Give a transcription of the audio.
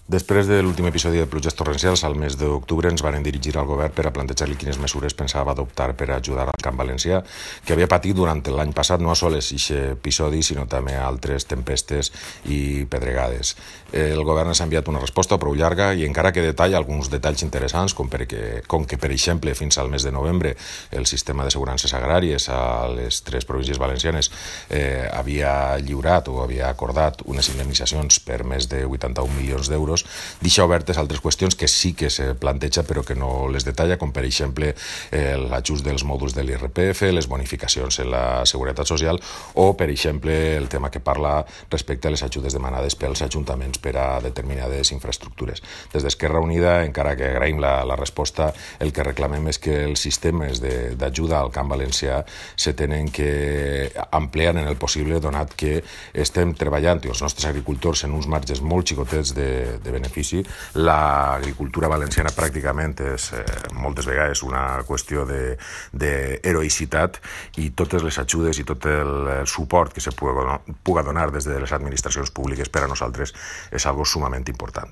Després de l'últim episodi de pluges torrencials, al mes d'octubre ens van dirigir al govern per a plantejar-li quines mesures pensava adoptar per a ajudar al camp valencià, que havia patit durant l'any passat no sols aquest episodi, sinó també altres tempestes i pedregades. El govern ens ha enviat una resposta prou llarga i encara que detalla alguns detalls interessants, com que, per exemple, fins al mes de novembre el sistema d'assegurances agràries a les 3 províncies valencianes havia lliurat o havia acordat unes indemnitzacions per més de 81 milions d'euros, deixa obertes altres qüestions que sí que se planteja però que no les detalla, com per exemple l'ajust dels mòduls de l'IRPF, les bonificacions en la Seguretat Social o, per exemple, el tema que parla respecte a les ajudes demanades pels ajuntaments per a determinades infraestructures. Des d'Esquerra Unida, encara que agraïm la resposta, el que reclamem és que els sistemes d'ajuda al camp valencià se tenen que ampliar en el possible, donat que estem treballant i els nostres agricultors en uns marges molt xicotets de benefici. L'agricultura valenciana pràcticament és moltes vegades una qüestió d'heroïcitat i totes les ajudes i tot el suport que se puga donar des de les administracions públiques per a nosaltres és algo sumament important.